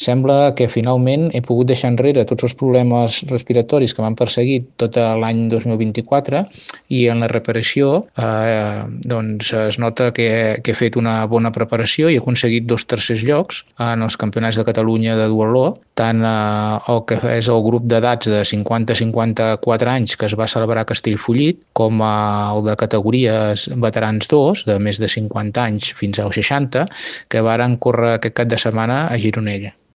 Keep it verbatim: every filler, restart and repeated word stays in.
Sembla que finalment he pogut deixar enrere tots els problemes respiratoris que m'han perseguit tot l'any dos mil vint-i-quatre i en la reparació eh, doncs es nota que he, que he fet una bona preparació i he aconseguit dos tercers llocs en els campionats de Catalunya de duatló, tant eh, el que és el grup d'edats de cinquanta a cinquanta-quatre anys que es va celebrar a Castellfollit, com el de categories veterans dos, de més de cinquanta anys fins als seixanta, que varen córrer aquest cap de setmana a Gironella.